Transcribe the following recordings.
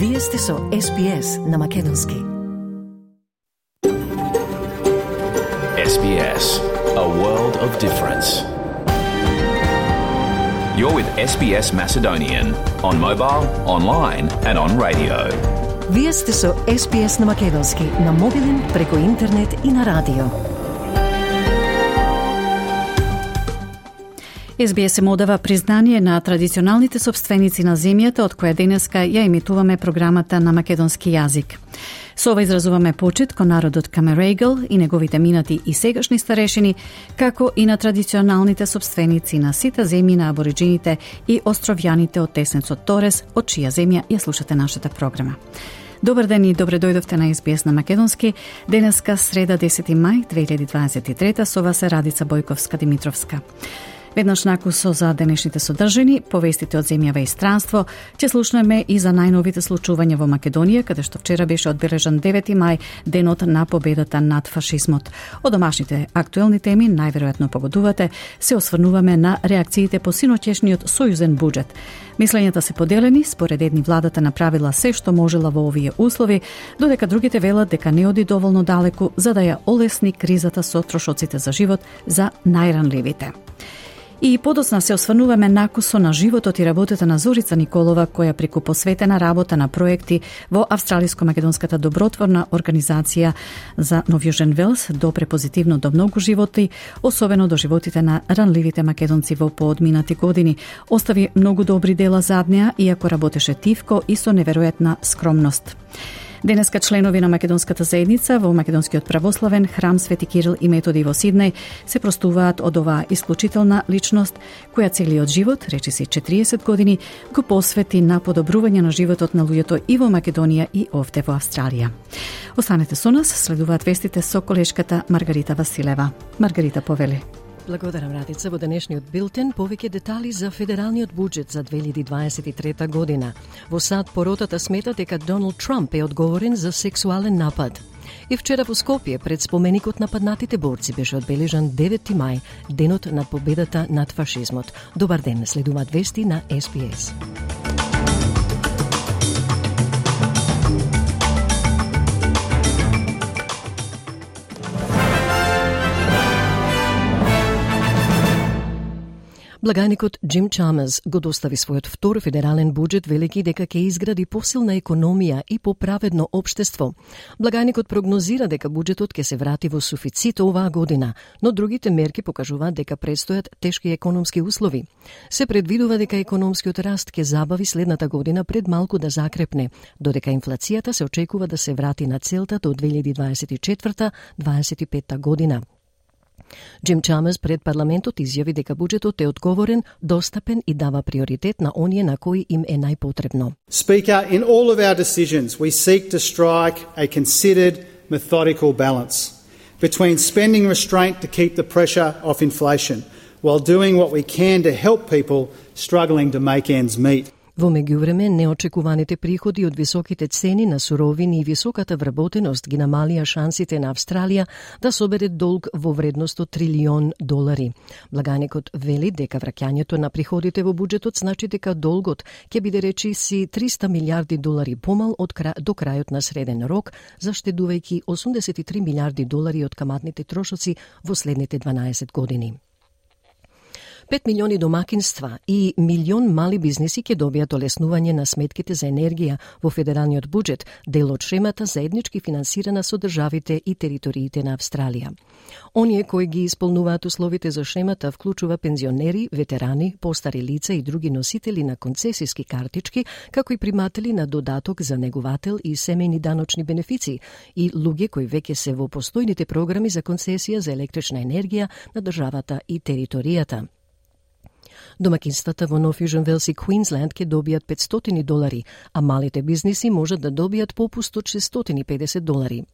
Вие сте со SBS на Македонски. SBS, a world of difference. You're with SBS Macedonian on mobile, online and on radio. Вие сте со SBS на Македонски на мобилен, преку интернет и на радио. SBS му дава признание на традиционалните собственици на земјата, од која денеска ја емитуваме програмата на македонски јазик. Со ова изразуваме почит кон народот Камерегл и неговите минати и сегашни старешини, како и на традиционалните собственици на сите земји на абориджините и островјаните од Теснецот Торес, од чија земја ја слушате нашата програма. Добар ден и добре дојдовте на SBS на Македонски. Денеска среда 10 мај 2023 со вас е Радица Бојковска-Димитровска. Веднаш накусо за денешните содржини, повестите од земјава и странство, ќе слушнеме и за најновите случувања во Македонија, каде што вчера беше одбележан 9 мај, денот на победата над фашизмот. Од домашните актуелни теми, најверојатно погодувате, се осврнуваме на реакциите по синоќешниот сојузен буџет. Мислењата се поделени, според едни владата направила се што можела во овие услови, додека другите велат дека не оди доволно далеку за да ја олесни кризата со трошоците за живот за најранливите. И подоцна се осврнуваме накусо на животот и работата на Зорица Николова, која преку посветена работа на проекти во Австралиско-македонската добротворна организација за Нов Јужен Велс допре позитивно до многу животи, особено до животите на ранливите македонци во поодминати години. Остави многу добри дела зад неа, иако работеше тивко и со неверојатна скромност. Денеска членови на македонската заедница во Македонскиот православен храм Свети Кирил и Методи во Сиднеј се простуваат од оваа исклучителна личност, која целиот живот, речиси 40 години, го посвети на подобрување на животот на луѓето и во Македонија и овде во Австралија. Останете со нас, следуваат вестите со колешката Маргарита Василева. Маргарита, повели. Благодарам, Радица. Во денешниот билтен повеќе детали за федералниот буџет за 2023 година. Во САД поротата смета дека Доналд Трамп е одговорен за сексуален напад. И вчера во Скопје пред споменикот на паднатите борци беше одбележан 9 мај, денот на победата над фашизмот. Добар ден, следуваат вести на SBS. Благајникот Джим Чамерс го достави својот втор федерален буџет, велики дека ќе изгради посилна економија и поправедно општество. Благајникот прогнозира дека буџетот ќе се врати во суфицит оваа година, но другите мерки покажуваат дека предстојат тешки економски услови. Се предвидува дека економскиот раст ќе забави следната година пред малку да закрепне, додека инфлацијата се очекува да се врати на целта до 2024-2025 година. Джим Чамерс пред парламентот изјави дека буџетот е одговорен, достапен и дава приоритет на оние на кои им е најпотребно. Speaker, in all of our decisions we seek to strike a considered, methodical balance between spending restraint to keep the pressure off inflation while doing what we can to help people struggling to make ends meet. Во меѓувреме, неочекуваните приходи од високите цени на суровини и високата вработеност ги намалија шансите на Австралија да собере долг во вредност од $1 трилион. Благајникот вели дека враќањето на приходите во буџетот значи дека долгот ќе биде речиси $300 милиарди помал до крајот на среден рок, заштедувајќи $83 милиарди од каматните трошоци во следните 12 години. 5 милиони домакинства и милион мали бизниси ќе добијат олеснување на сметките за енергија во федералниот буџет, дел од шемата заеднички финансирана со државите и териториите на Австралија. Оние кои ги исполнуваат условите за шемата вклучува пензионери, ветерани, постари лица и други носители на концесиски картички, како и приматели на додаток за неговател и семејни даночни бенефиции и луѓе кои веќе се во постојните програми за концесија за електрична енергија на државата и територијата. Домакинствата во Нов Јужен Велс и Квинсленд ќе добијат $500, а малите бизниси можат да добијат попуст од $650.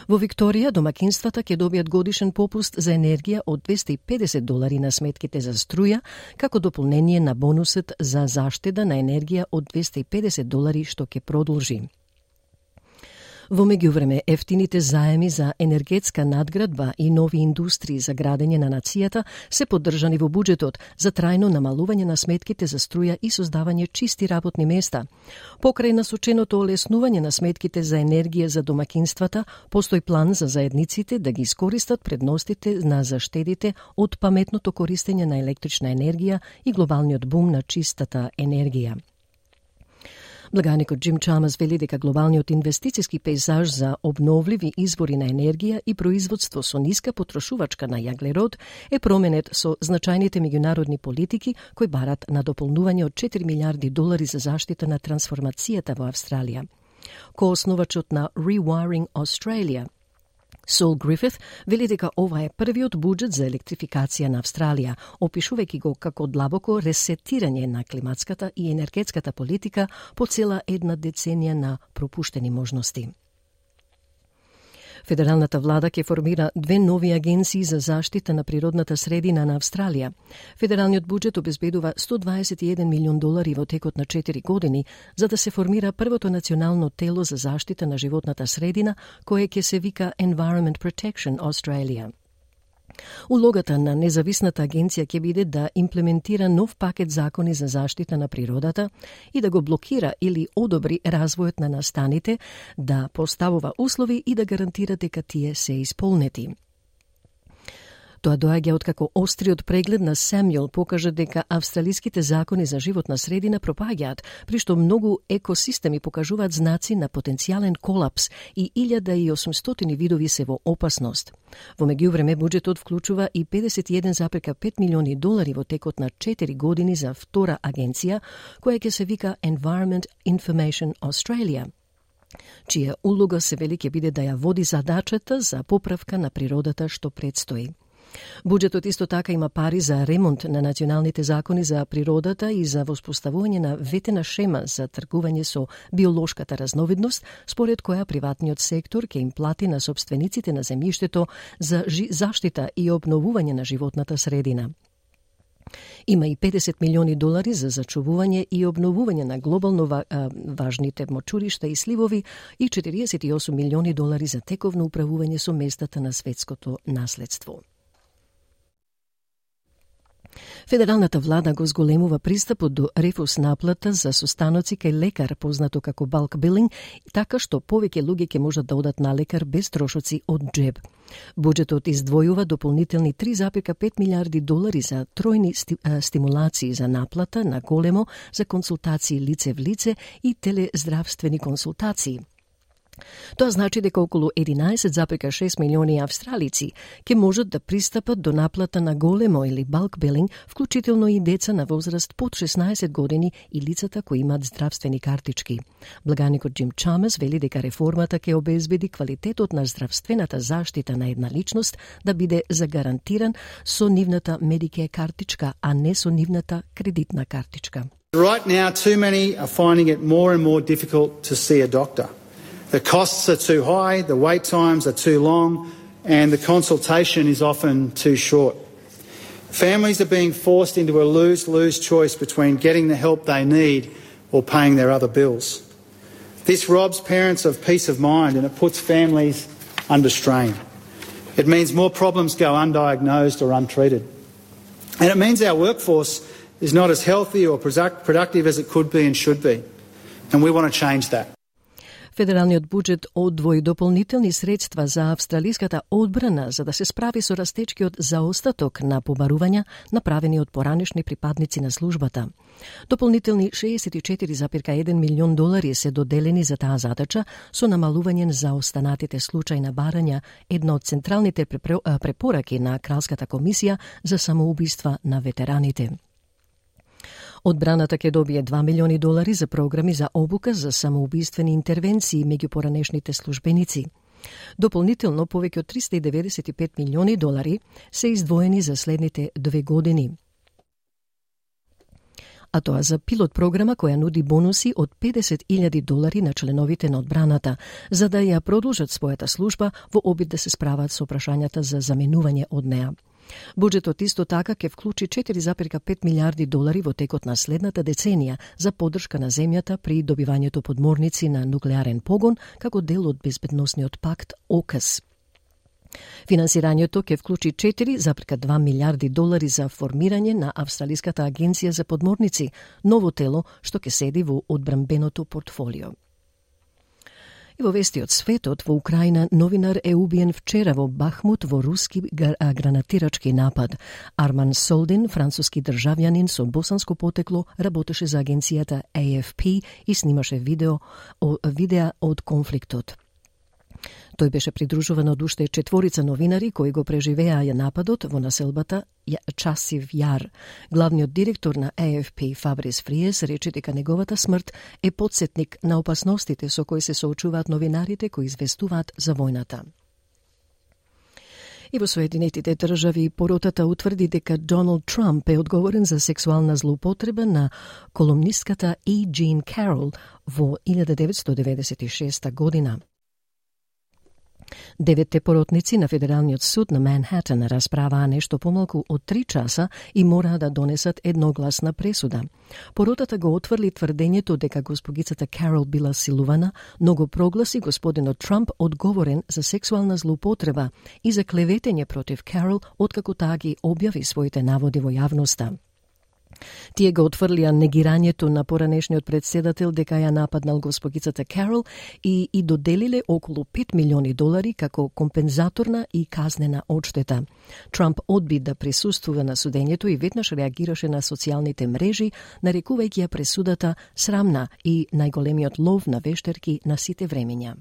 Во Викторија, домакинствата ќе добијат годишен попуст за енергија од $250 на сметките за струја, како дополнение на бонусот за заштеда на енергија од $250 што ќе продолжи. Во меѓувреме, ефтините заеми за енергетска надградба и нови индустрии за градење на нацијата се поддржани во буџетот за трајно намалување на сметките за струја и создавање чисти работни места. Покрај насоченото олеснување на сметките за енергија за домакинствата, постои план за заедниците да ги искористат предностите на заштедите од паметното користење на електрична енергија и глобалниот бум на чистата енергија. Благаникот Джим Чамас вели дека глобалниот инвестициски пейзаж за обновливи извори на енергија и производство со ниска потрошувачка на јаглерод е променет со значајните меѓународни политики кои барат на дополнување од $4 милиарди за заштита на трансформацијата во Австралија. Коосновачот на Rewiring Australia, Сол Грифит, вели дека ова е првиот буџет за електрификација на Австралија, опишувајќи го како длабоко ресетирање на климатската и енергетската политика по цела една деценија на пропуштени можности. Федералната влада ќе формира 2 нови агенции за заштита на природната средина на Австралија. Федералниот буџет обезбедува $121 милиони во текот на 4 години за да се формира првото национално тело за заштита на животната средина, кое ќе се вика Environment Protection Australia. Улогата на независната агенција ќе биде да имплементира нов пакет закони за заштита на природата и да го блокира или одобри развојот на настаните, да поставува услови и да гарантира дека тие се исполнети. Тоа доаѓа откако остриот преглед на Сэмјуел покажа дека австралиските закони за животна средина пропаѓаат, при што многу екосистеми покажуваат знаци на потенцијален колапс и 1800 видови се во опасност. Во меѓувреме, буџетот вклучува и $51,5 милиони во текот на 4 години за втора агенција, која ќе се вика Environment Information Australia, чија улога се вели ќе биде да ја води задачата за поправка на природата што предстои. Буџетот исто така има пари за ремонт на националните закони за природата и за воспоставување на ветена шема за тргување со биолошката разновидност, според која приватниот сектор ќе им плати на сопствениците на земјиштето за заштита и обновување на животната средина. Има и $50 милиони за зачувување и обновување на глобално важните мочуришта и сливови и $48 милиони за тековно управување со местата на светското наследство. Федералната влада го зголемува пристапот до рефус наплата за состаноци кај лекар, познато како bulk billing, така што повеќе луѓе ќе можат да одат на лекар без трошоци од џеб. Буџетот издвојува дополнителни $3,5 милиарди за тројни стимулации за наплата на големо за консултации лице в лице и телездравствени консултации. Тоа значи дека околу 11,6 милиони австралици ќе можат да пристапат до наплата на големо или bulk billing, вклучително и деца на возраст под 16 години и лицата кои имаат здравствени картички. Благаникот Джим Чамас вели дека реформата ќе обезбеди квалитетот на здравствената заштита на една личност да биде загарантиран со нивната Medicare картичка, а не со нивната кредитна картичка. Right now, too many are finding it more and more difficult to see a doctor. The costs are too high, the wait times are too long, and the consultation is often too short. Families are being forced into a lose-lose choice between getting the help they need or paying their other bills. This robs parents of peace of mind and it puts families under strain. It means more problems go undiagnosed or untreated. And it means our workforce is not as healthy or productive as it could be and should be. And we want to change that. Федералниот буџет одвои дополнителни средства за австралиската одбрана за да се справи со растечкиот заостаток на побарувања направени од поранешни припадници на службата. Дополнителни $64,1 милион се доделени за таа задача со намалување за останатите случаи на барања, една од централните препораки на Кралската комисија за самоубиства на ветераните. Одбраната ќе добие $2 милиони за програми за обука за самоубиствени интервенции меѓу поранешните службеници. Дополнително повеќе од $395 милиони се издвоени за следните 2 години. А тоа за пилот програма која нуди бонуси од $50,000 на членовите на одбраната, за да ја продолжат својата служба во обид да се справат со прашањата за заменување од неа. Буџетот исто така ќе вклучи 4,5 милиарди долари во текот на следната деценија за поддршка на земјата при добивањето подморници на нуклеарен погон како дел од безбедносниот пакт ОКС. Финансирањето ќе вклучи 4,2 милиарди долари за формирање на Австралиската агенција за подморници, ново тело што ќе седи во одбранбеното портфолио. И во вести од светот, во Украина новинар е убиен вчера во Бахмут во руски гранатирачки напад. Арман Солдин, француски државјанин со босанско потекло, работеше за агенцијата AFP и снимаше видеа од конфликтот. Тој беше придружуван од уште 4 новинари кои го преживеа нападот во населбата Часив Јар. Главниот директор на AFP Фабрис Фриес рече дека неговата смрт е потсетник на опасностите со кои се соочуваат новинарите кои известуваат за војната. И во Соединетите држави поротата утврди дека Доналд Трамп е одговорен за сексуална злоупотреба на колумнистката E. Jean Carroll во 1996 година. 9 поротници на Федералниот суд на Манхатен расправаа нешто помалку од 3 часа и мораа да донесат едногласна пресуда. Поротата го отврли тврдењето дека госпогицата Карол била силувана, но го прогласи господинот Трамп одговорен за сексуална злоупотреба и за клеветење против Карол откако таа ги објави своите наводи во јавноста. Тие го отфрлија негирањето на поранешниот председател дека ја нападнал госпогицата Карол и доделиле околу 5 милиони долари како компензаторна и казнена одштета. Трамп одби да присуствува на судењето и веднаш реагираше на социјалните мрежи, нарекувајќи ја пресудата срамна и најголемиот лов на вештерки на сите времења.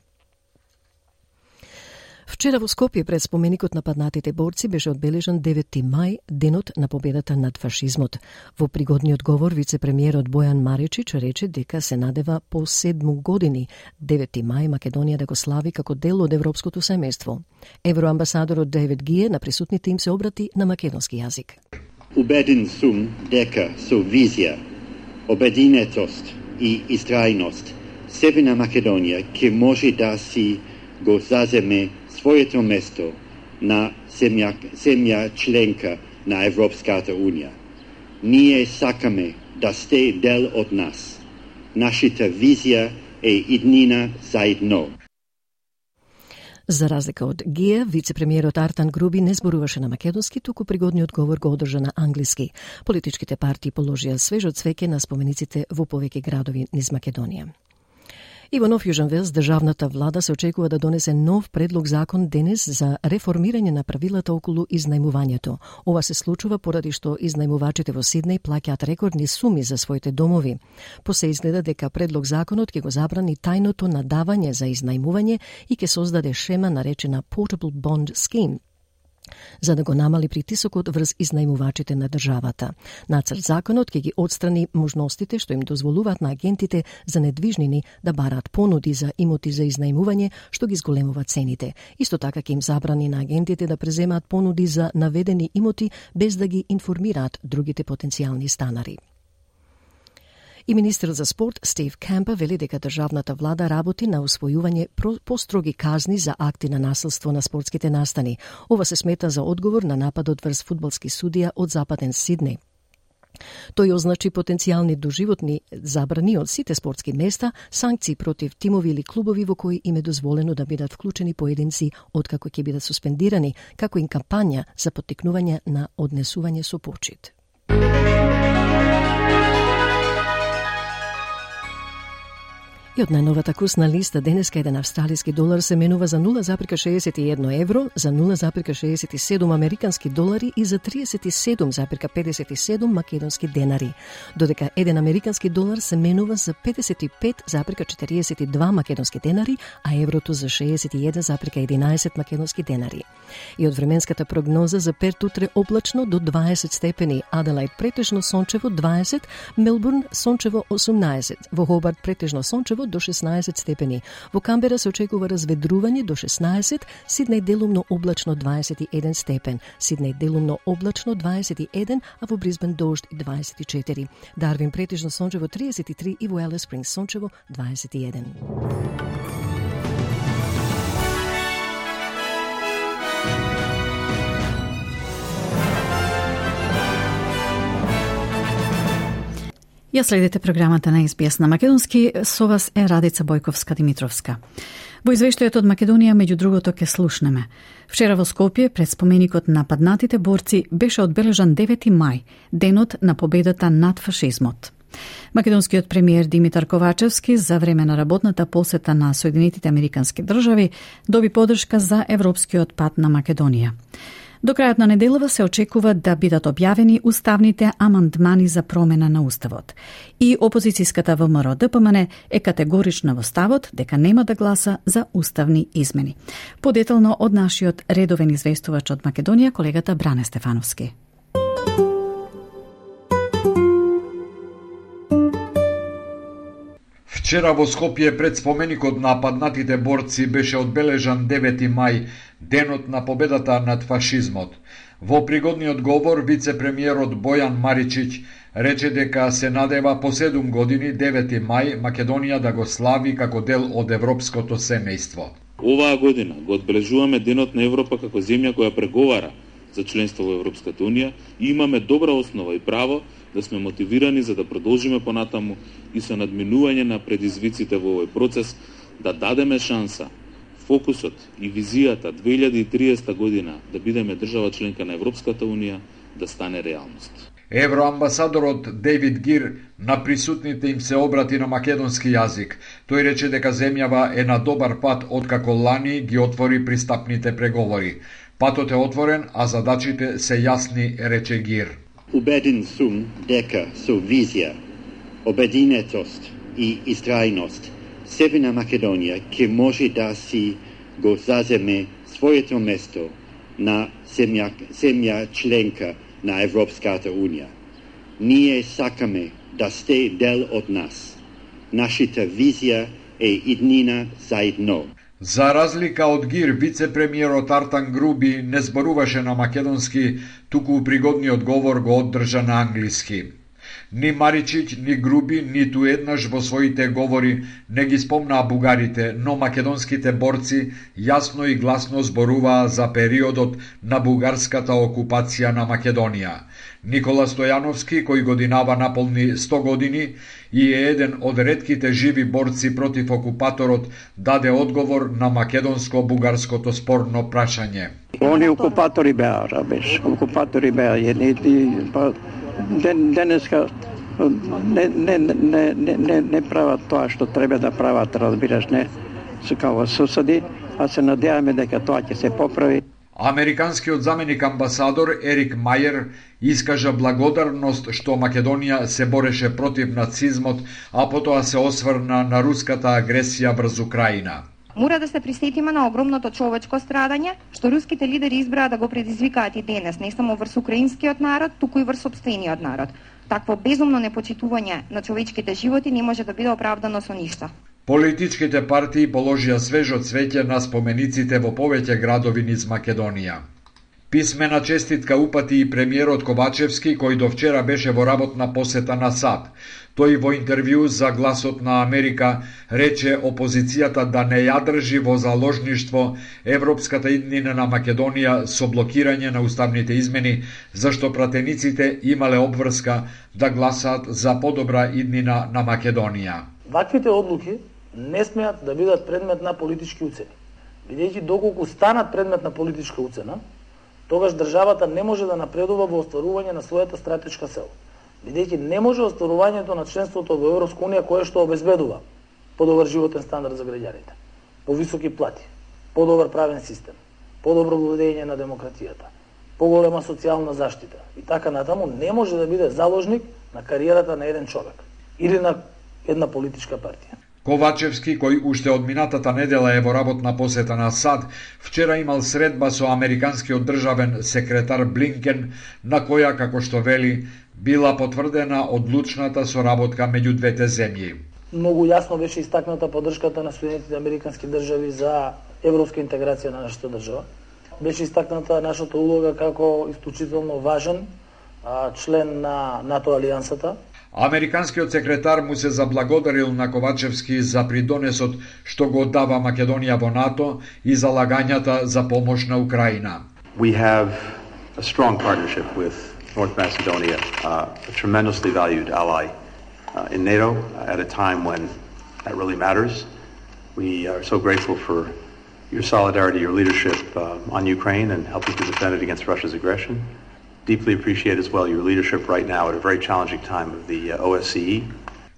Вчера во Скопје пред споменикот на паднатите борци беше одбележан 9 мај, денот на победата над фашизмот. Во пригодниот говор вице-премиерот Бојан Маричич рече дека се надева по 7 години 9 мај Македонија да го слави како дел од европското семејство. Евроамбасадорот Дейвид Гие на присутните им се обрати на македонски јазик. Убеден сум дека со визија, обединетост и истрајност Северна Македонија ќе може да си го заземе своето место на земја членка на Европската Унија. Ние сакаме да сте дел од нас. Нашата визија е иднина заедно. За разлика од Гија, вице-премиерот Артан Груби не зборуваше на македонски, туку пригодниот говор го одржа на англиски. Политичките партии положија свежо цвеќе на спомениците во повеќе градови низ Македонија. И во Нов Јужен Велс, државната влада се очекува да донесе нов предлог закон денес за реформирање на правилата околу изнајмувањето. Ова се случува поради што изнајмувачите во Сиднеј плаќаат рекордни суми за своите домови. Се изгледа дека предлог законот ќе го забрани тајното надавање за изнајмување и ќе создаде шема наречена Portable Bond Scheme, за да го намали притисокот врз изнајмувачите на државата. Нацрт законот ќе ги отстрани можностите што им дозволуваат на агентите за недвижнини да бараат понуди за имоти за изнајмување, што ги зголемува цените. Исто така ќе им забрани на агентите да преземаат понуди за наведени имоти без да ги информираат другите потенцијални станари. И министерот за спорт Стив Кемпер вели дека државната влада работи на усвојување построги казни за акти на насилство на спортските настани. Ова се смета за одговор на нападот врз фудбалски судија од Западен Сиднеј. Тој означи потенцијални доживотни забрани од сите спортски места, санкции против тимови или клубови во кои им е дозволено да бидат вклучени поединци откако ќе бидат суспендирани, како и кампања за поттикнување на однесување со почит. И од најновата курсна листа денеска еден австралиски долар се менува за 0,61 евро, за 0,67 американски долари и за 37,57 македонски денари, додека еден американски долар се менува за 55,42 македонски денари, а еврото за 61,11 македонски денари. И од временската прогноза за Перт утре облачно до 20 степени, Аделаид претежно сончево 20, Мелбурн сончево 18, во Хобарт претежно сончево до 16 степени. Во Камбера се очекува разведрување до 16, Сиднеј делумно облачно 21 степен, Сиднеј делумно облачно 21, а во Брисбен дожд 24. Дарвин претежно сончево 33 и во Елис Спрингс сончево 21. Ја следите програмата на СБС на македонски, со вас е Радица Бојковска-Димитровска. Во извештајот од Македонија, меѓу другото, ке слушнеме. Вчера во Скопје, пред споменикот на паднатите борци, беше одбележан 9 мај, денот на победата над фашизмот. Македонскиот премиер Димитар Ковачевски за време на работната посета на Соединетите Американски држави доби поддршка за европскиот пат на Македонија. До крајот на неделава се очекува да бидат објавени уставните амандмани за промена на уставот. И опозицијската ВМРО ДПМН е категорична во ставот дека нема да гласа за уставни измени. Подетално од нашиот редовен известувач од Македонија, колегата Бране Стефановски. Вчера во Скопје пред споменикот на паднатите борци беше одбележан 9 мај, денот на победата над фашизмот. Во пригодниот говор, вице-премиерот Бојан Маричиќ рече дека се надева по 7 години, 9 мај, Македонија да го слави како дел од европското семејство. Оваа година го одбележуваме Денот на Европа како земја која преговара за членство во Европската Унија и имаме добра основа и право да сме мотивирани за да продолжиме понатаму и со надминување на предизвиците во овој процес да дадеме шанса, фокусот и визијата 2030 година да бидеме држава членка на Европската Унија да стане реалност. Евроамбасадорот Дейвид Гир на присутните им се обрати на македонски јазик. Тој рече дека земјава е на добар пат откако лани ги отвори пристапните преговори. Патот е отворен, а задачите се јасни, рече Гир. Убеден сум дека со визија, обединетост и истрајност Северна Македонија ќе може да си го заземе своето место на земја членка на Европската Унија. Ние сакаме да сте дел од нас. Нашата визија е иднина заедно. За разлика од Гир, вице-премиерот Артан Груби не зборуваше на македонски, туку пригодниот говор го оддржа на англиски. Ни Маричиќ, ни Груби, ниту еднаш во своите говори не ги спомнаа бугарите, но македонските борци јасно и гласно зборуваа за периодот на бугарската окупација на Македонија. Никола Стојановски, кој годинава наполни 100 години и е еден од ретките живи борци против окупаторот, даде одговор на македонско-бугарското спорно прашање. Они окупатори беа, окупатори беа, денеска не прават тоа што треба да прават, разбираш, не се као соседи, а се надеваме дека тоа ќе се поправи. Американскиот заменик амбасадор Ерик Мајер искажа благодарност што Македонија се бореше против нацизмот, а потоа се осврна на руската агресија врз Украина. Мора да се присетиме на огромното човечко страдање, што руските лидери избраа да го предизвикаат и денес, не само врз украинскиот народ, туку и врз сопствениот народ. Такво безумно непочитување на човечките животи не може да биде оправдано со ништо. Политичките партии положија свежо цвеќе на спомениците во повеќе градови низ Македонија. Писмена честитка упати и премиерот Ковачевски, кој до вчера беше во работна посета на САД. Тој во интервју за Гласот на Америка рече опозицијата да не ја држи во заложништво европската иднина на Македонија со блокирање на уставните измени, зашто пратениците имале обврска да гласаат за подобра иднина на Македонија. Ваквите одлуки не смеат да бидат предмет на политички уцени. Бидејќи доколку станат предмет на политичка уцена, тогаш државата не може да напредува во остварување на својата стратешка цел. Бидејќи не може остварувањето на членството во Европска унија кое што обезбедува подобар животен стандард за граѓаните, повисоки плати, подобар правен систем, подобро владење на демократијата, поголема социјална заштита и така натаму, не може да биде заложник на кариерата на еден човек или на една политичка партија. Ковачевски, кој уште од минатата недела е во работна посета на САД, вчера имал средба со американскиот државен секретар Блинкен, на која, како што вели, била потврдена одлучната соработка меѓу двете земји. Многу јасно беше истакната поддршката на Соединетите Американски држави за европска интеграција на нашата држава. Беше истакната нашата улога како исклучително важен член на НАТО алијансата. Американскиот секретар му се заблагодарил на Ковачевски за придонесот што го дава Македонија во НАТО и залагањата за помош на Украина. We have a strong partnership with North Macedonia, a tremendously valued ally in NATO at a time when that really matters. We are so grateful for your solidarity, your leadership on Ukraine and helping to defend it against Russia's aggression. Deeply appreciate as well your leadership right now at a very challenging time of the OSCE.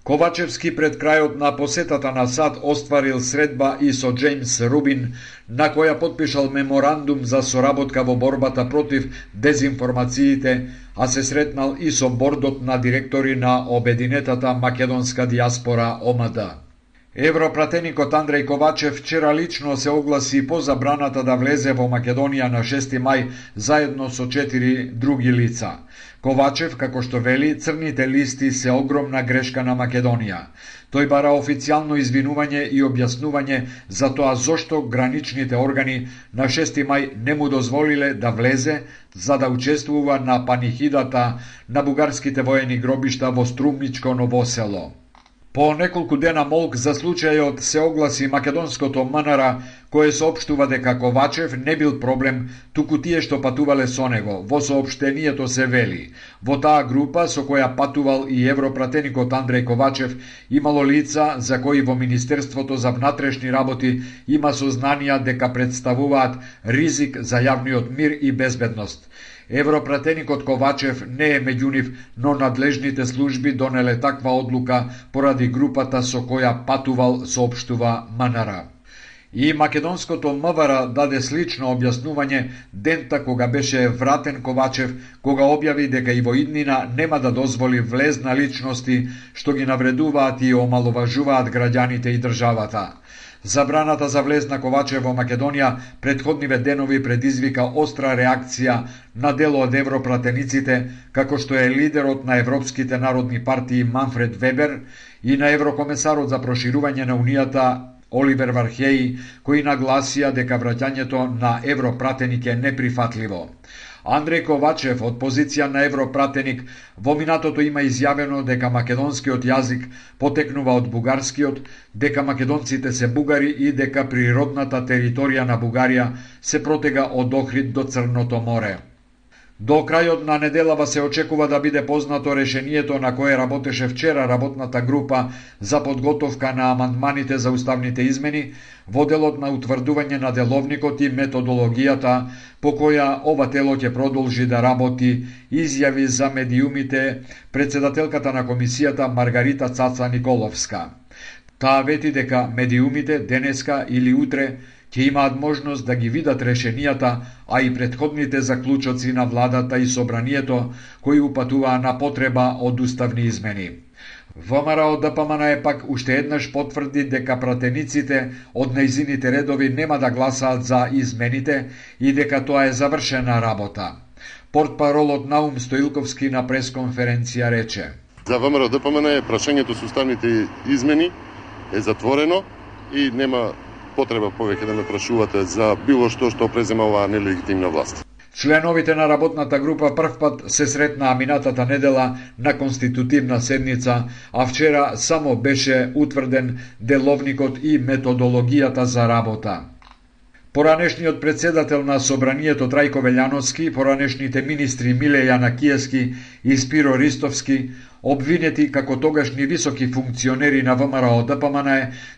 Ковачевски пред крајот на посетата на САД остварил средба и со Джеймс Рубин, на која подпишал меморандум за соработка во борбата против дезинформациите, а се сретнал и со бордот на директори на обединетата македонска диаспора ОМД. Европратеникот Андреј Ковачев вчера лично се огласи по забраната да влезе во Македонија на 6 мај заедно со 4 други лица. Ковачев, како што вели, црните листи се огромна грешка на Македонија. Тој бара официјално извинување и објаснување за тоа зошто граничните органи на 6 мај не му дозволиле да влезе за да учествува на панихидата на бугарските воени гробишта во Струмничко Ново село. По неколку дена молк за случајот се огласи македонското МНР, кое соопштува дека Ковачев не бил проблем, туку тие што патувале со него. Во соопштението се вели: во таа група со која патувал и европратеникот Андреј Ковачев, имало лица за кои во Министерството за внатрешни работи има сознанија дека представуваат ризик за јавниот мир и безбедност. Европратеникот Ковачев не е меѓу нив, но надлежните служби донеле таква одлука поради групата со која патувал, соопштува МНР. И македонското МВР даде слично објаснување дента кога беше вратен Ковачев, кога објави дека и во иднина нема да дозволи влез на личности што ги навредуваат и омаловажуваат граѓаните и државата. Забраната за влез на Ковачев во Македонија претходниве денови предизвика остра реакција на дел од европратениците, како што е лидерот на Европските народни партии Манфред Вебер и на еврокомесарот за проширување на Унијата Оливер Вархеи, кои нагласија дека враќањето на европратеник е неприфатливо. Андреј Ковачев од позиција на европратеник во минатото има изјавено дека македонскиот јазик потекнува од бугарскиот, дека македонците се бугари и дека природната територија на Бугарија се протега од Охрид до Црното море. До крајот на неделава се очекува да биде познато решението на кое работеше вчера работната група за подготовка на амандманите за уставните измени во делот на утврдување на деловникот и методологијата по која ова тело ќе продолжи да работи, изјави за медиумите председателката на комисијата Маргарита Цаца Николовска. Таа вети дека медиумите денеска или утре ќе имаат можност да ги видат решенијата, а и претходните заклучоци на владата и собранието, кои упатуваа на потреба од уставни измени. ВМРО ДПМН е пак уште еднаш потврди дека пратениците од нејзините редови нема да гласаат за измените и дека тоа е завршена работа. Портпаролот Наум Стоилковски на пресконференција рече: За ВМРО ДПМН прашањето со уставните измени е затворено и нема потреба повеќе да ме прашувате за било што презема оваа нелегитимна власт. Членовите на работната група првпат се сретнаа минатата недела на конститутивна седница, а вчера само беше утврден деловникот и методологијата за работа. Поранешниот председател на собранието Трајко Велјановски, поранешните министри Миле Јанакиевски и Спиро Ристовски, обвинети како тогашни високи функционери на ВМРО ДПМН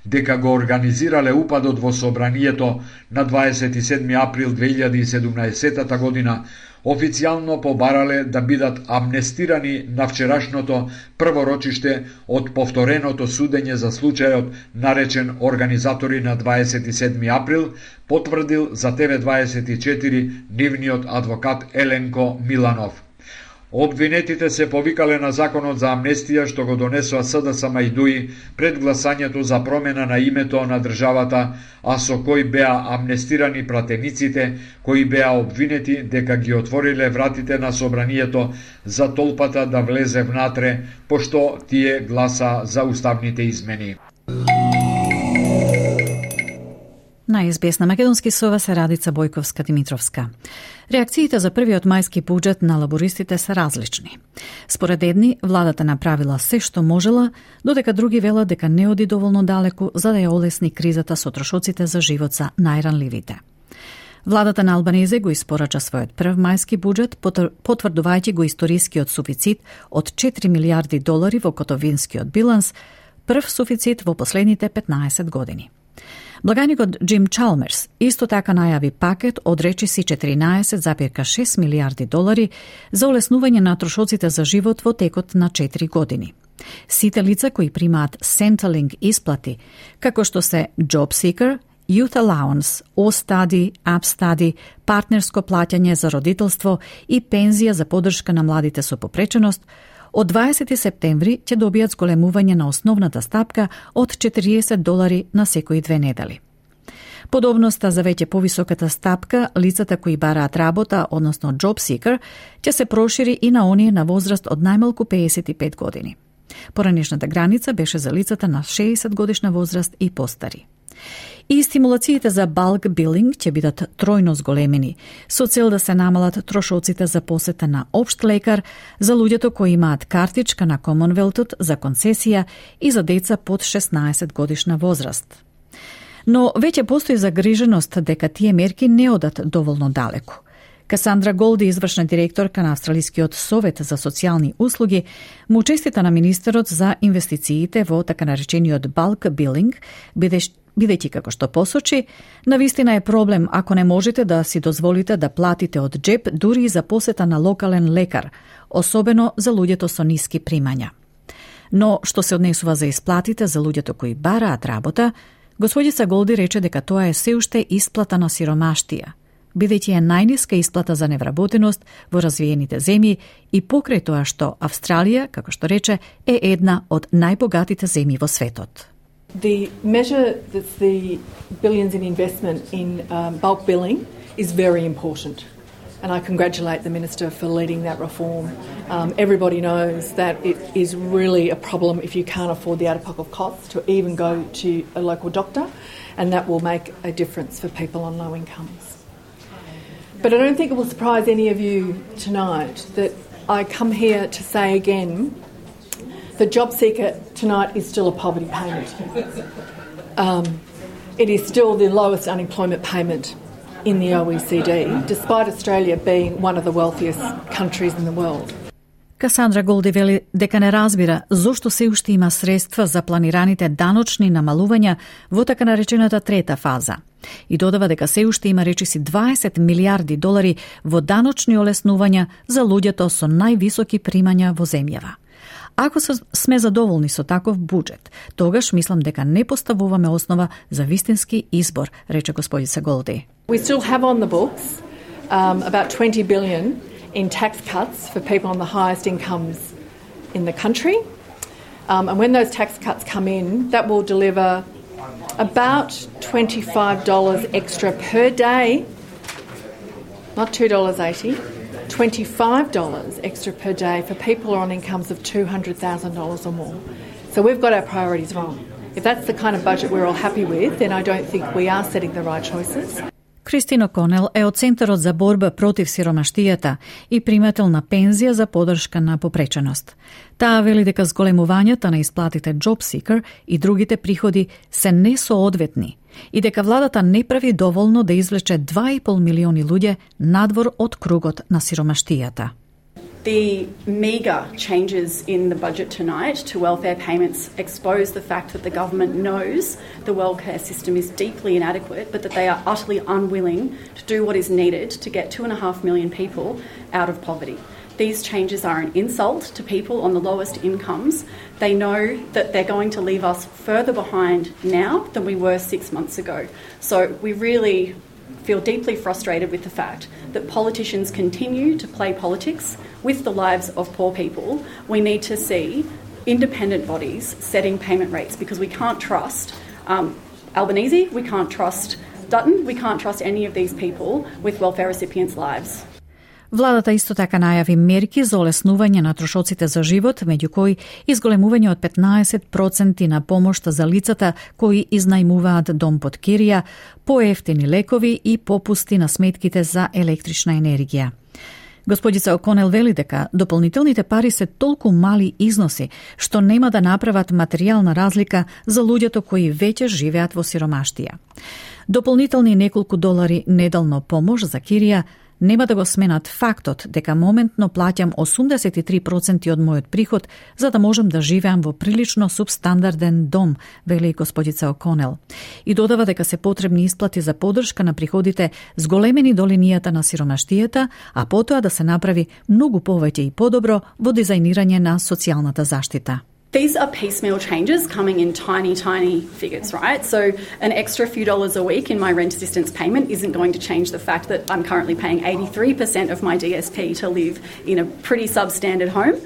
дека го организирале упадот во собранието на 27 април 2017 година, официјално побарале да бидат амнестирани на вчерашното прво рочиште од повтореното судење за случајот наречен организатори на 27 април, потврдил за ТВ24 нивниот адвокат Еленко Миланов. Обвинетите се повикале на законот за амнестија што го донесоа СДСМ и ДУИ пред гласањето за промена на името на државата, а со кој беа амнестирани пратениците кои беа обвинети дека ги отвориле вратите на собранието за толпата да влезе внатре, пошто тие гласа за уставните измени. На СБС на македонски сова се Радица Бојковска-Димитровска. Реакциите за првиот мајски буџет на лабористите се различни. Според едни, владата направила се што можела, додека други велат дека не оди доволно далеку за да ја олесни кризата со трошоците за живот за најранливите. Владата на Албанезе го испорача својот прв мајски буџет, потврдувајќи го историскиот суфицит од 4 милиарди долари во готовинскиот биланс, прв суфицит во последните 15 години. Благаникот Джим Чалмерс исто така најави пакет од речиси 14,6 милиарди долари за олеснување на трошоците за живот во текот на 4 години. Сите лица кои примаат Centrelink исплати, како што се Job Seeker, Youth Allowance, O-Study, App Study, партнерско плаќање за родителство и пензија за поддршка на младите со попреченост, од 20 септември ќе добијат зголемување на основната стапка од 40 долари на секои 2 недели. Подобноста за веќе повисоката стапка, лицата кои бараат работа, односно Job Seeker, ќе се прошири и на оние на возраст од најмалку 55 години. Поранешната граница беше за лицата на 60 годишна возраст и постари. И стимулациите за bulk billing ќе бидат тројно зголемени, со цел да се намалат трошоците за посета на општ лекар за луѓето кои имаат картичка на Комонвелтот за концесија и за деца под 16 годишна возраст. Но веќе постои загриженост дека тие мерки не одат доволно далеку. Касандра Голди, извршна директорка на Австралискиот совет за социјални услуги, му честита на министерот за инвестициите во така наречениот bulk billing, бидејќи како што посочи, навистина е проблем ако не можете да си дозволите да платите од джеб дури и за посета на локален лекар, особено за луѓето со ниски примања. Но што се однесува за исплатите за луѓето кои бараат работа, господица Голди рече дека тоа е се уште исплата на сиромаштија, бидејќи е најниска исплата за невработеност во развиените земји и покрај тоа што Австралија, како што рече, е една од најбогатите земји во светот. The measure that's the billions in investment in bulk billing is very important. And I congratulate the Minister for leading that reform. Everybody knows that it is really a problem if you can't afford the out-of-pocket costs to even go to a local doctor, and that will make a difference for people on low incomes. But I don't think it will surprise any of you tonight that I come here to say again the Job Seeker tonight is still a poverty payment. It is still the lowest unemployment payment in the OECD, despite Australia being one of the wealthiest countries in the world. Касандра Голди вели дека не разбира зошто се уште има средства за планираните даночни намалувања во така наречената трета фаза. И додава дека се уште има речиси 20 милиарди долари во даночни олеснувања за луѓето со највисоки примања во земјава. Ако сме задоволни со таков буџет, тогаш мислам дека не поставуваме основа за вистински избор, рече господица Голди. We still have on the books about 20 billion in tax cuts for people on the highest incomes in the country. And when those tax cuts come in, that will deliver about $25 extra per day, not $2.80, $25 extra per day for people on incomes of $200,000 or more. So we've got our priorities wrong. If that's the kind of budget we're all happy with, then I don't think we are setting the right choices. Кристин О'Конел е од Центарот за борба против сиромаштијата и примател на пензија за поддршка на попреченост. Таа вели дека зголемувањата на исплатите Job Seeker и другите приходи се несоодветни и дека владата не прави доволно да извлече 2,5 милиони луѓе надвор од кругот на сиромаштијата. The meagre changes in the budget tonight to welfare payments expose the fact that the government knows the welfare system is deeply inadequate, but that they are utterly unwilling to do what is needed to get 2.5 million people out of poverty. These changes are an insult to people on the lowest incomes. They know that they're going to leave us further behind now than we were 6 months ago. So we really feel deeply frustrated with the fact that politicians continue to play politics with the lives of poor people. We need to see independent bodies setting payment rates because we can't trust Albanese, we can't trust Dutton, we can't trust any of these people with welfare recipients' lives. Владата исто така најави мерки за олеснување на трошоците за живот, меѓу кои изголемување од 15% на помошта за лицата кои изнајмуваат дом под кирија, поевтини лекови и попусти на сметките за електрична енергија. Господица О'Конел вели дека дополнителните пари се толку мали износи, што нема да направат материјална разлика за луѓето кои веќе живеат во сиромаштија. Дополнителни неколку долари неделно помош за кирија нема да го сменат фактот дека моментно плаќам 83% од мојот приход за да можам да живеам во прилично субстандарден дом, вели господица О'Конел. И додава дека се потребни исплати за поддршка на приходите зголемени до линијата на сиромаштијата, а потоа да се направи многу повеќе и подобро во дизајнирање на социјалната заштита. These are piecemeal changes coming in tiny figures, right? So an extra few dollars a week in my rent assistance payment isn't going to change the fact that I'm currently paying 83% of my DSP to live in a pretty substandard home.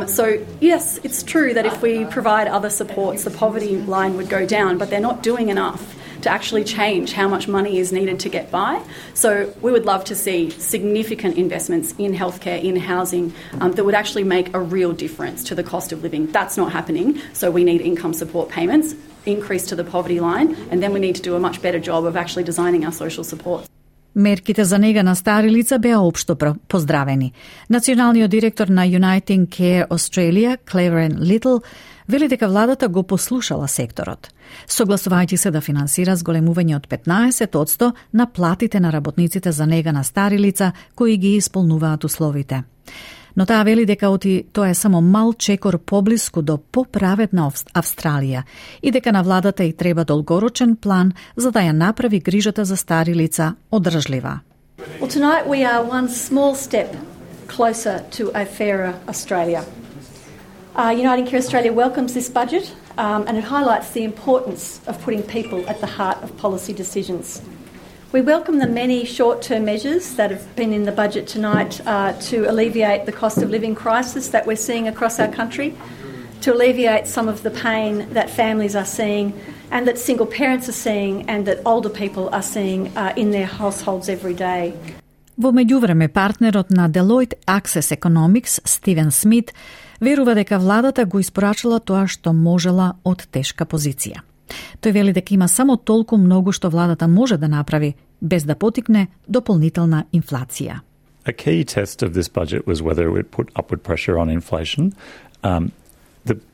So yes, it's true that if we provide other supports, the poverty line would go down, but they're not doing enough to actually change how much money is needed to get by. So we would love to see significant investments in healthcare, in housing, that would actually make a real difference to the cost of living. That's not happening, so we need income support payments, increase to the poverty line, and then we need to do a much better job of actually designing our social supports. Мерките за нега на стари лица беа општо поздравени. Националниот директор на Uniting Care Australia, Claveren Little, вели дека владата го послушала секторот, согласувајќи се да финансира зголемување од 15% на платите на работниците за нега на стари лица кои ги исполнуваат условите. Но таа вели дека тоа е само мал чекор поблиску до поправедна Австралија и дека на владата и треба долгорочен план за да ја направи грижата за стари лица одржлива. Well, tonight we are one small step closer to a fairer Australia. Uniting Care Australia welcomes this budget and it highlights the importance of putting people at the heart of policy decisions. We welcome the many short-term measures that have been in the budget tonight to alleviate the cost of living crisis that we're seeing across our country, to alleviate some of the pain that families are seeing and that single parents are seeing and that older people are seeing in their households every day. Во меѓувреме, партнерот на Deloitte Access Economics, Стивен Смит, верува дека владата го испорачала тоа што можела од тешка позиција. Тој вели дека има само толку многу што владата може да направи, без да потикне дополнителна инфлација. A key test of this budget was whether it would put upward pressure on inflation.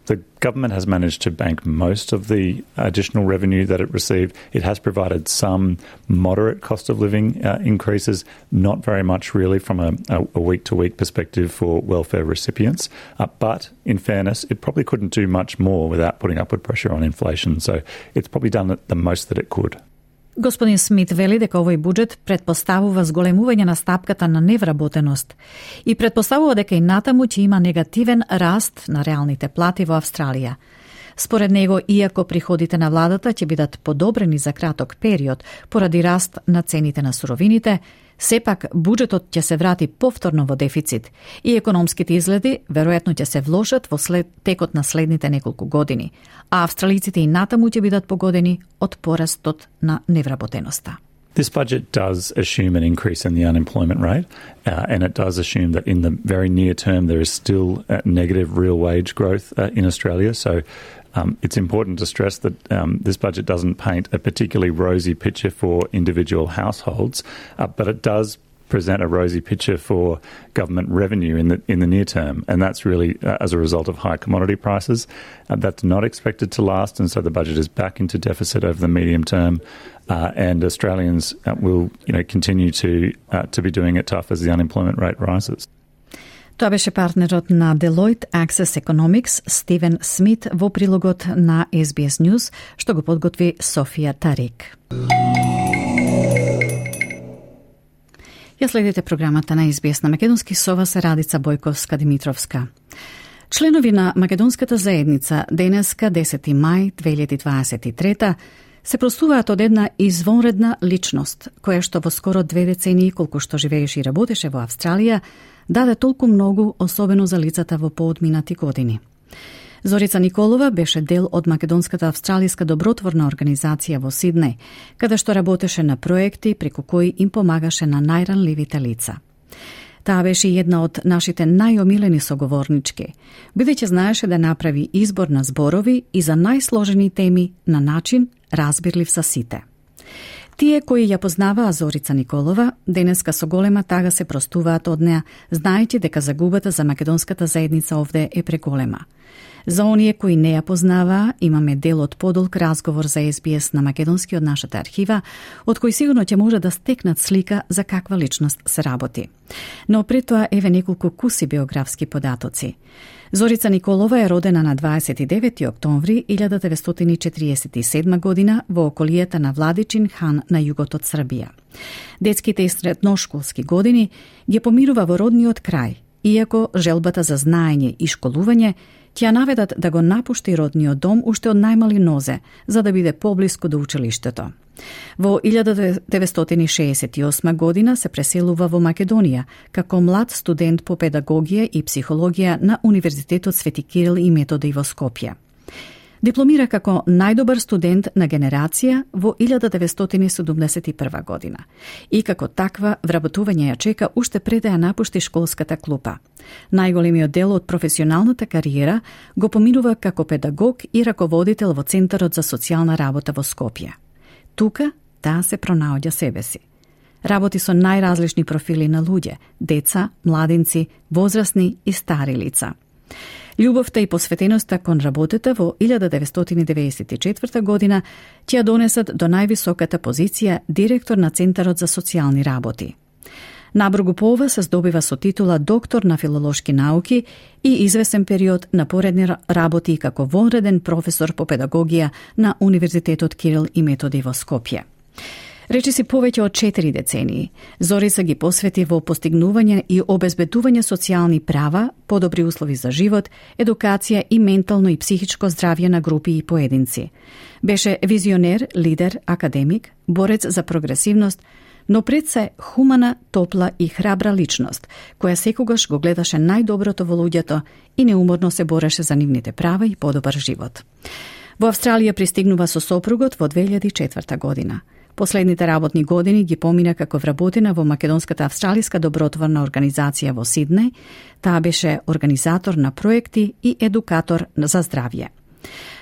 The government has managed to bank most of the additional revenue that it received. It has provided some moderate cost of living increases, not very much really from a week-to-week perspective for welfare recipients. But in fairness, it probably couldn't do much more without putting upward pressure on inflation. So it's probably done the most that it could. Господин Смит вели дека овој буџет претпоставува зголемување на стапката на невработеност и претпоставува дека и натаму ќе има негативен раст на реалните плати во Австралија. Според него, иако приходите на владата ќе бидат подобрени за краток период поради раст на цените на суровините, сепак буџетот ќе се врати повторно во дефицит и економските изгледи веројатно ќе се влошат во текот на следните неколку години, а австралиците и натаму ќе бидат погодени од порастот на невработеноста. This budget does assume an increase in the unemployment rate, and it does assume that in the very near term there is still negative real wage growth in Australia. So it's important to stress that this budget doesn't paint a particularly rosy picture for individual households, but it does present a rosy picture for government revenue in the near term, and that's really as a result of high commodity prices. That's not expected to last, and so the budget is back into deficit over the medium term, and Australians will continue to be doing it tough as the unemployment rate rises. Тоа беше партнерот на Deloitte Access Economics, Стивен Смит, во прилогот на SBS News, што го подготви Софија Тарик. Ја следите програмата на SBS на македонски, со вас е Радица Бојковска-Димитровска. Членови на македонската заедница денеска 10 мај 2023 се простуваат од една извонредна личност, која што во скоро 2 децении колку што живееше и работеше во Австралија, даде толку многу, особено за лицата во поодминати години. Зорица Николова беше дел од македонската австралиска добротворна организација во Сиднеј, каде што работеше на проекти преку кои им помагаше на најранливите лица. Таа беше една од нашите најомилени соговорнички, бидејќи знаеше да направи избор на зборови и за најсложени теми на начин разбирлив за сите. Тие кои ја познаваа Зорица Николова, денеска со голема тага се простуваат од неа, знаејќи дека загубата за македонската заедница овде е преголема. За оние кои не ја познаваа, имаме дел од подолг разговор за SBS на македонски од нашата архива, од кој сигурно ќе може да стекнат слика за каква личност се работи. Но пред тоа еве неколку куси биографски податоци. Зорица Николова е родена на 29. октомври 1947 година во околијата на Владичин хан на југот од Србија. Детските и средношколски години ги поминува во родниот крај, иако желбата за знаење и школување ќе наведат да го напушти родниот дом уште од најмали нозе, за да биде поблиску до училиштето. Во 1968 година се преселува во Македонија како млад студент по педагогија и психологија на Универзитетот Свети Кирил и Методи во Скопје. Дипломира како најдобар студент на генерација во 1971 година и како таква вработување ја чека уште пред да ја напушти школската клупа. Најголемиот дел од професионалната кариера го поминува како педагог и раководител во Центарот за социјална работа во Скопје. Тука таа се пронаоѓа себе си. Работи со најразлични профили на луѓе, деца, младинци, возрастни и стари лица. Љубовта и посветеноста кон работата во 1994 година ќе ја донесат до највисоката позиција директор на Центарот за социјални работи. Набргу по ова се здобива со титула доктор на филолошки науки и извесен период на поредни работи како вонреден професор по педагогија на Универзитетот Кирил и Методи во Скопје. Речиси повеќе од 4 децении, Зорица ги посвети во постигнување и обезбедување социјални права, подобри услови за живот, едукација и ментално и психичко здравје на групи и поединци. Беше визионер, лидер, академик, борец за прогресивност, но пред се хумана, топла и храбра личност, која секогаш го гледаше најдоброто во луѓето и неуморно се бореше за нивните права и подобар живот. Во Австралија пристигнува со сопругот во 2004 година. Последните работни години ги помина како вработена во Македонската австралиска добротворна организација во Сиднеј. Таа беше организатор на проекти и едукатор за здравје.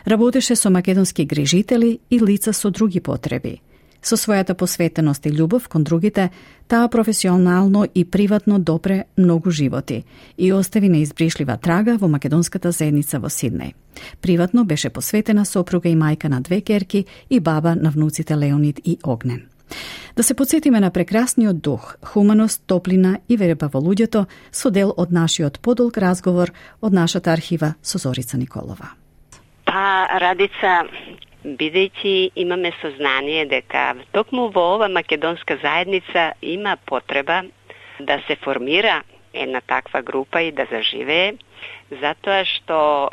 Работеше со македонски грижители и лица со други потреби. Со својата посветеност и љубов кон другите, таа професионално и приватно допре многу животи и остави неизбришлива трага во македонската заедница во Сиднеј. Приватно беше посветена сопруга и мајка на 2 ќерки и баба на внуците Леонид и Огнен. Да се подсетиме на прекрасниот дух, хуманост, топлина и верба во луѓето со дел од нашиот подолг разговор од нашата архива со Зорица Николова. Радица, бидејќи имаме сознание дека токму во ова македонска заедница има потреба да се формира една таква група и да заживее, затоа што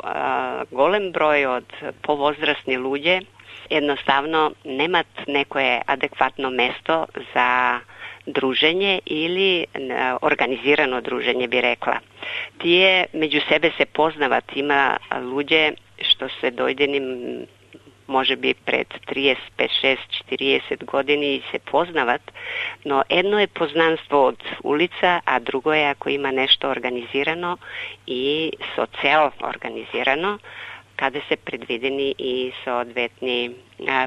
голем број од повозрастни луѓе едноставно немат некое адекватно место за дружење или организирано дружење, би рекла. Тие меѓу себе се познават, има луѓе што се дојдени може би пред 35, 6, 40 години и се познават, но едно е познанство од улица, а друго е ако има нешто организирано и со цел организирано, каде се предвидени и соодветни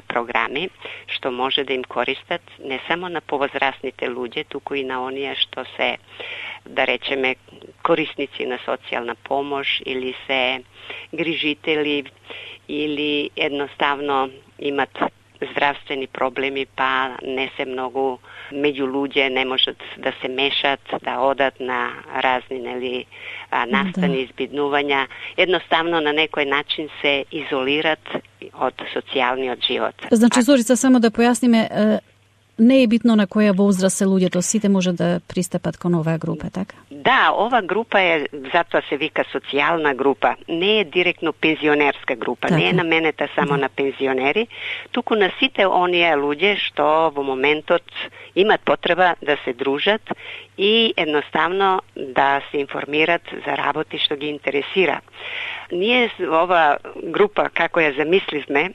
програми, што може да им користат не само на повозрастните луѓе, туку и на оние што се, да речеме, корисници на социјална помош или се грижители или едноставно имат здравствени проблеми, па не се многу меѓу луѓе, не можат да се мешат, да одат на разни настани, избиднувања, едноставно на некој начин се изолират од социјалниот живот. Значи, Зорица, само да појасниме, не е битно на која возраст се луѓето, сите може да пристапат кон оваа група, така? Да, ова група е, затоа се вика социјална група, не е директно пензионерска група, така. Не е наменета само на пензионери, туку на сите оние луѓе што во моментот имат потреба да се дружат и едноставно да се информират за работи што ги интересира. Ние ова група, како ја замисливме,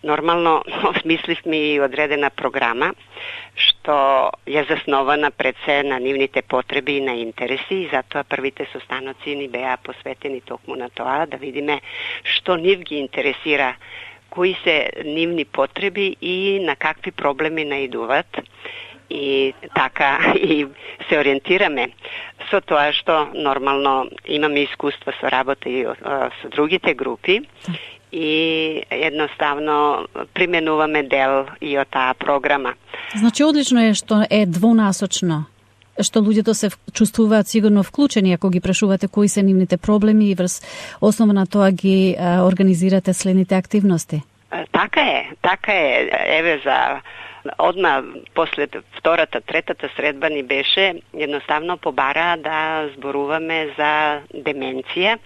нормално осмисливме и одредена програма, што ја заснована пред се на нивните потреби и на интереси, и затоа првите состаноци ни беа посветени токму на тоа, да видиме што нив ги интересира, кои се нивни потреби и на какви проблеми наидуваат. и така и се ориентираме со тоа што нормално имаме искуство со работа и со другите групи и едноставно применуваме дел и од таа програма. Значи, одлично е што е двонасочно, што луѓето се чувствуваат сигурно вклучени ако ги прашувате кои се нивните проблеми и врз основа на тоа ги организирате следните активности. Така е. Еве за одма после втората, третата средба ни беше едноставно побара да зборуваме за деменција,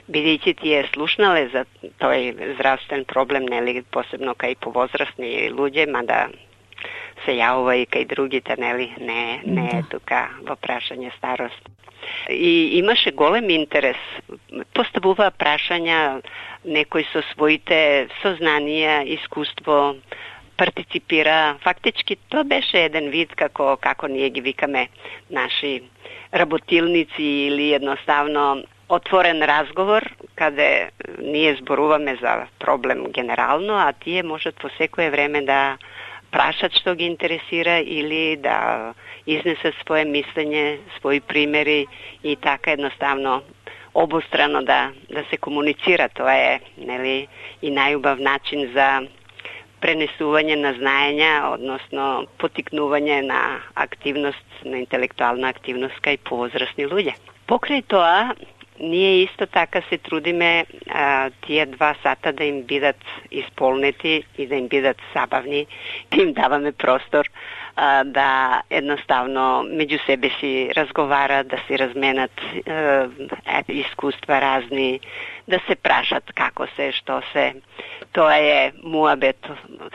бидејќи тие слушнале за тој здравствен проблем, нели, посебно кај повозрастни луѓе, мада се јавува и кај другите, нели, не е тука во прашање старост. И имаше голем интерес. Поставува прашања некој со своите сознанија, искуство, партиципира. Фактички тоа беше еден вид како ние ги викаме наши работилници или едноставно отворен разговор каде ние зборуваме за проблем генерално, а тие можат по секое време да прашат што ги интересира или да изнесат свое мислење, своји примери и така едноставно обострано да се комуницира. Тоа е, нели, и најубав начин за пренесување на знаења, односно потикнување на активност, на интелектуална активност кај повозрастни луѓе. Покрај тоа, ние исто така се трудиме тие 2 сата да им бидат исполнети и да им бидат забавни, да им даваме простор да едноставно меѓу себе си разговарат, да си разменат искуства разни, да се прашат како се, што се. Тоа е муабет,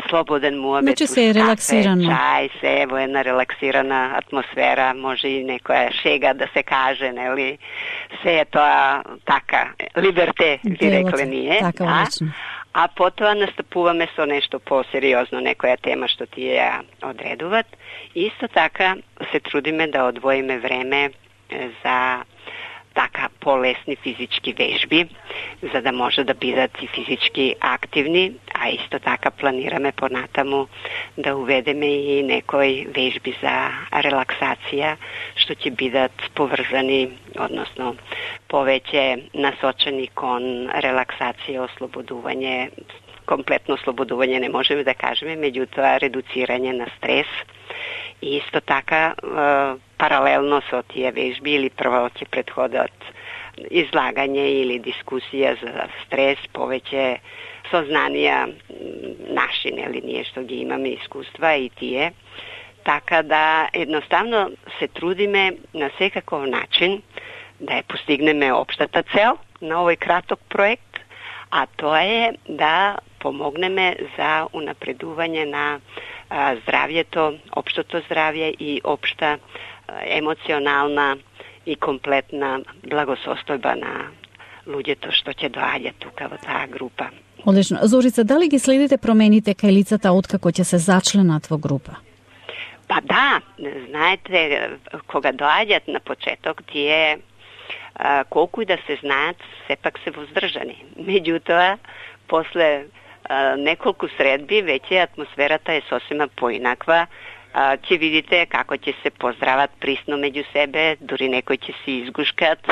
слободен муабет. Значи се е релаксирано. Чај, се во една релаксирана атмосфера, може и некоја шега да се каже, нели? Се е тоа така, либерте, би рекле ние. Така, а потоа настапуваме со нешто посериозно, некоја тема што тие ја одредуват. Исто така се трудиме да одвоиме време за така полесни физички вежби, за да може да бидат и физички активни, а исто така планираме понатаму да уведеме и некои вежби за релаксација, што ќе бидат поврзани, односно повеќе насочени кон релаксација, ослободување, комплетно ослободување не можеме да кажеме, меѓутоа редуцирање на стрес. И исто така, паралелно со тие вежби или прво ќе предходат излагање или дискусија за стрес, повеќе сознанија наши, нели, ние што ги имаме искуства и тие. Така да едноставно се трудиме на секаков начин да ја постигнеме општата цел на овој краток проект, а тоа е да помогнеме за унапредување на здравјето, општото здравје и општа емоционална и комплетна благосостојба на луѓето што ќе доаѓат тука во таа група. Одлично. Зорица, дали ги следите промените кај лицата откако ќе се зачленат во група? Па да, знаете, кога доаѓат на почеток, тие колку и да се знаат, сепак се воздржани. Меѓутоа, после неколку средби, веќе атмосферата е сосема поинаква. Ќе видите како ќе се поздрават присно меѓу себе, дури некои ќе си изгушкат,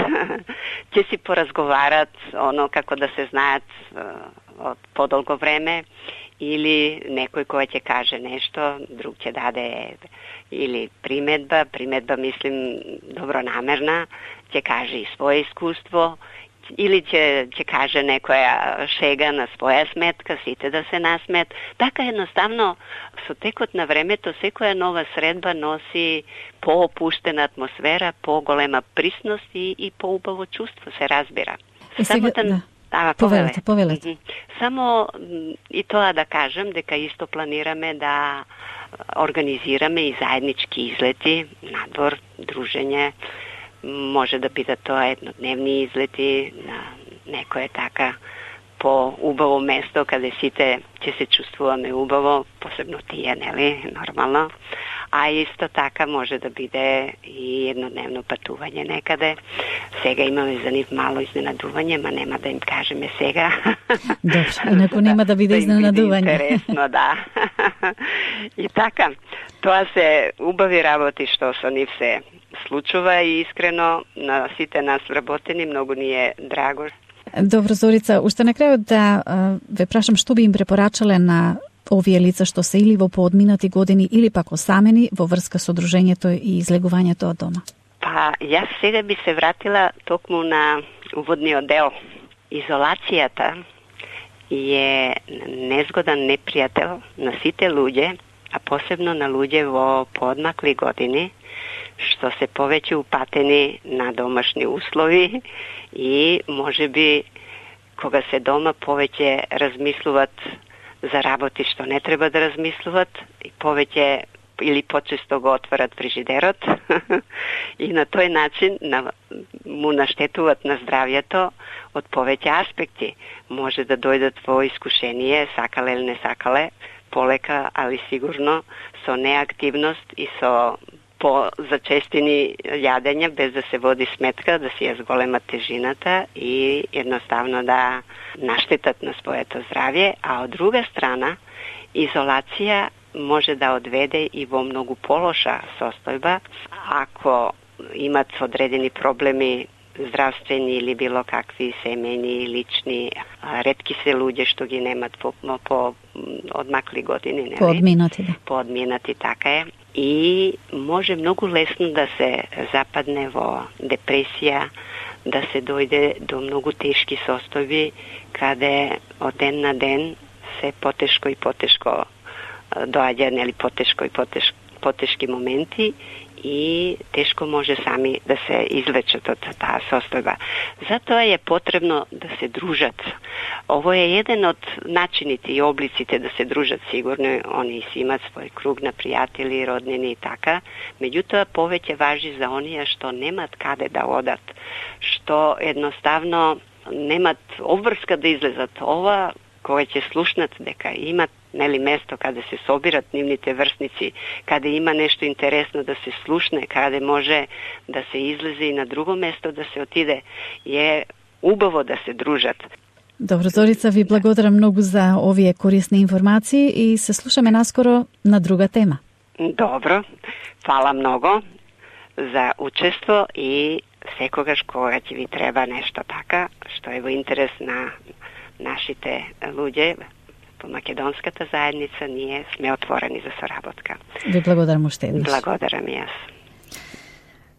ќе си поразговарат, оно како да се знаат од подолго време, или некој кој ќе каже нешто, друг ќе даде или приметба мислим добронамерна, ќе каже и свое искуство, или ќе каже некоја шега на своја сметка, сите да се насмет. Така едноставно, со текот на времето, секоја нова средба носи поопуштена атмосфера, поголема присност и поубаво чувство, се разбира. Повелете. Само и тоа да кажем, дека исто планираме да организираме и заеднички излети надвор, дружење. Може да бидат тоа еднодневни излети на некое така по-убаво место, каде сите ќе се чувствуваме убаво, посебно тие, нели, нормално. А исто така може да биде и еднодневно патување некаде. Сега имаме за нив мало изненадување, ма нема да им кажеме сега. Добро, инаку нема да биде изненадување. Да им биде интересно, да. И така, тоа се убави работи што со нив се случува и искрено на сите нас вработени многу ни е драго. Добро, Зорица, уште на крајот да ве прашам што би им препорачале на овие лица што се или во поодминати години или пак осамени во врска со дружењето и излегувањето од дома? Па, јас сега би се вратила токму на уводниот дел. Изолацијата е незгоден непријател на сите луѓе, а посебно на луѓе во поодмакли години, што се повеќе упатени на домашни услови и можеби кога се дома повеќе размислуваат за работи што не треба да размислуваат и повеќе или почесто го отварат фрижидерот и на тој начин му наштетуваат на здравјето од повеќе аспекти. Може да дојдат во искушение, сакале или не сакале, полека, али сигурно со неактивност и со по-зачестени јадења без да се води сметка, да си ја зголемат тежината и едноставно да наштетат на своето здравје, а од друга страна изолација може да одведе и во многу полоша состојба ако имат одредени проблеми здравствени или било какви семејни, лични. Ретки се луѓе што ги немат по одмакли години, нели? Поодминати, да. Поодминати, така е. И може многу лесно да се западне во депресија, да се дојде до многу тешки состојби, каде од ден на ден се потешко и потешко доаѓа, нели, потешко и потешки моменти и тешко може сами да се извлечат од таа состојба. Затоа е потребно да се дружат. Ово е еден од начините и облиците да се дружат, сигурно они си имат свој круг на пријатели, роднини и така, меѓутоа повеќе важи за оние што немат каде да одат, што едноставно немат обврска да излезат. Ова кога ќе слушнат дека имат, нели, место каде се собират нивните врсници, каде има нешто интересно да се слушне, каде може да се излезе и на друго место да се отиде, е убаво да се дружат. Добро, Зорица, ви благодарам многу за овие корисни информации и се слушаме наскоро на друга тема. Добро, фала многу за учество и секогаш кога ќе ви треба нешто така, што е во интерес на нашите луѓе по македонската заедница, ние сме отворени за соработка. Ви благодарам уште еднаш. Благодарам и јас.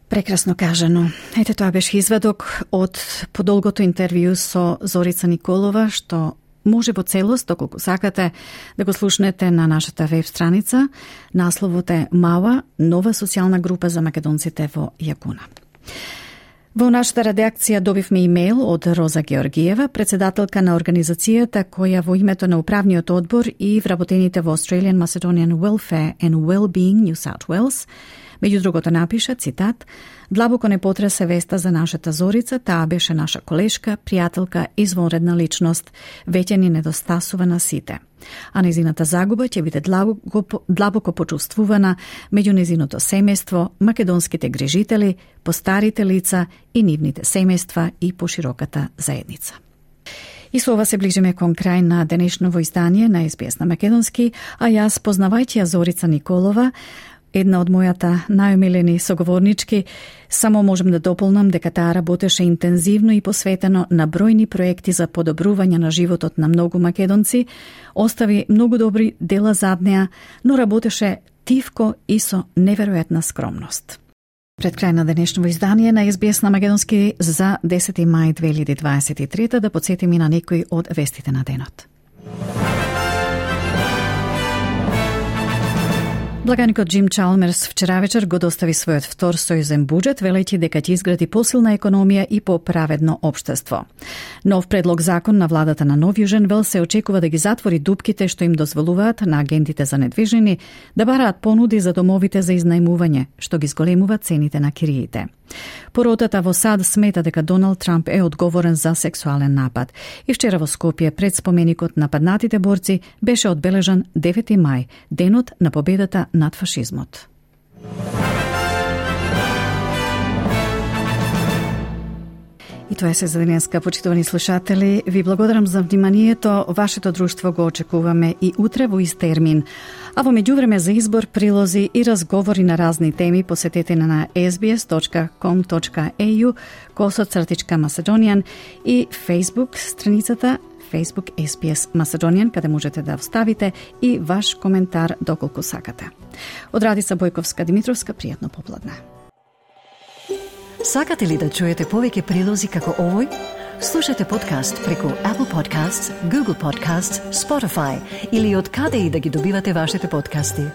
Прекрасно кажано. Ете, тоа беше изведок од подолгото интервју со Зорица Николова, што може во целост, доколку сакате, да го слушнете на нашата веб страница. Насловот е МАУА, нова социјална група за македонците во Јагуна. Во нашата редакција добивме имейл од Роза Георгиева, председателка на организацијата која во името на управниот одбор и вработените во Australian Macedonian Welfare and Wellbeing New South Wales, меѓу другото напиша, цитат, длабоко не потресе веста за нашата Зорица, таа беше наша колешка, пријателка, извонредна личност, веќе ни недостасува на сите. А незината загуба ќе биде длабоко почувствувана меѓу незиното семејство, македонските грижители, постарите лица и нивните семејства и пошироката заедница. И со ова се ближиме кон крај на денешново издание на SBS на македонски, а јас, познавајќи ја Зорица Николова, една од мојата најомилени соговорнички, само можем да дополнам дека таа работеше интензивно и посветено на бројни проекти за подобрување на животот на многу македонци, остави многу добри дела зад неа, но работеше тивко и со неверојатна скромност. Пред крај на денешново издание на SBS на македонски за 10 мај 2023 да подсетим и на некои од вестите на денот. Благаникот Джим Чалмерс вчера вечер го достави својот втор сојузен буџет, велејќи дека ќе изгради посилна економија и поправедно општество. Нов предлог закон на владата на Нов Јужен Велс се очекува да ги затвори дупките што им дозволуваат на агентите за недвижнини да бараат понуди за домовите за изнајмување, што ги зголемува цените на кириите. Поротата во САД смета дека Доналд Трамп е одговорен за сексуален напад и вчера во Скопје пред споменикот на паднатите борци беше одбележан 9 мај, денот на победата над фашизмот. тоа се за денеска, почитувани слушатели. Ви благодарам за вниманието. Вашето друштво го очекуваме и утре во ист термин. А во меѓувреме за избор, прилози и разговори на разни теми посетете на sbs.com.au/Macedonian и Facebook страницата Facebook SBS Macedonian, каде можете да вставите и ваш коментар доколку сакате. Од Радица Бојковска Димитровска, пријатно попладне. Сакате ли да чуете повеќе прилози како овој? Слушате подкаст преку Apple Podcasts, Google Podcasts, Spotify или од каде и да ги добивате вашите подкасти.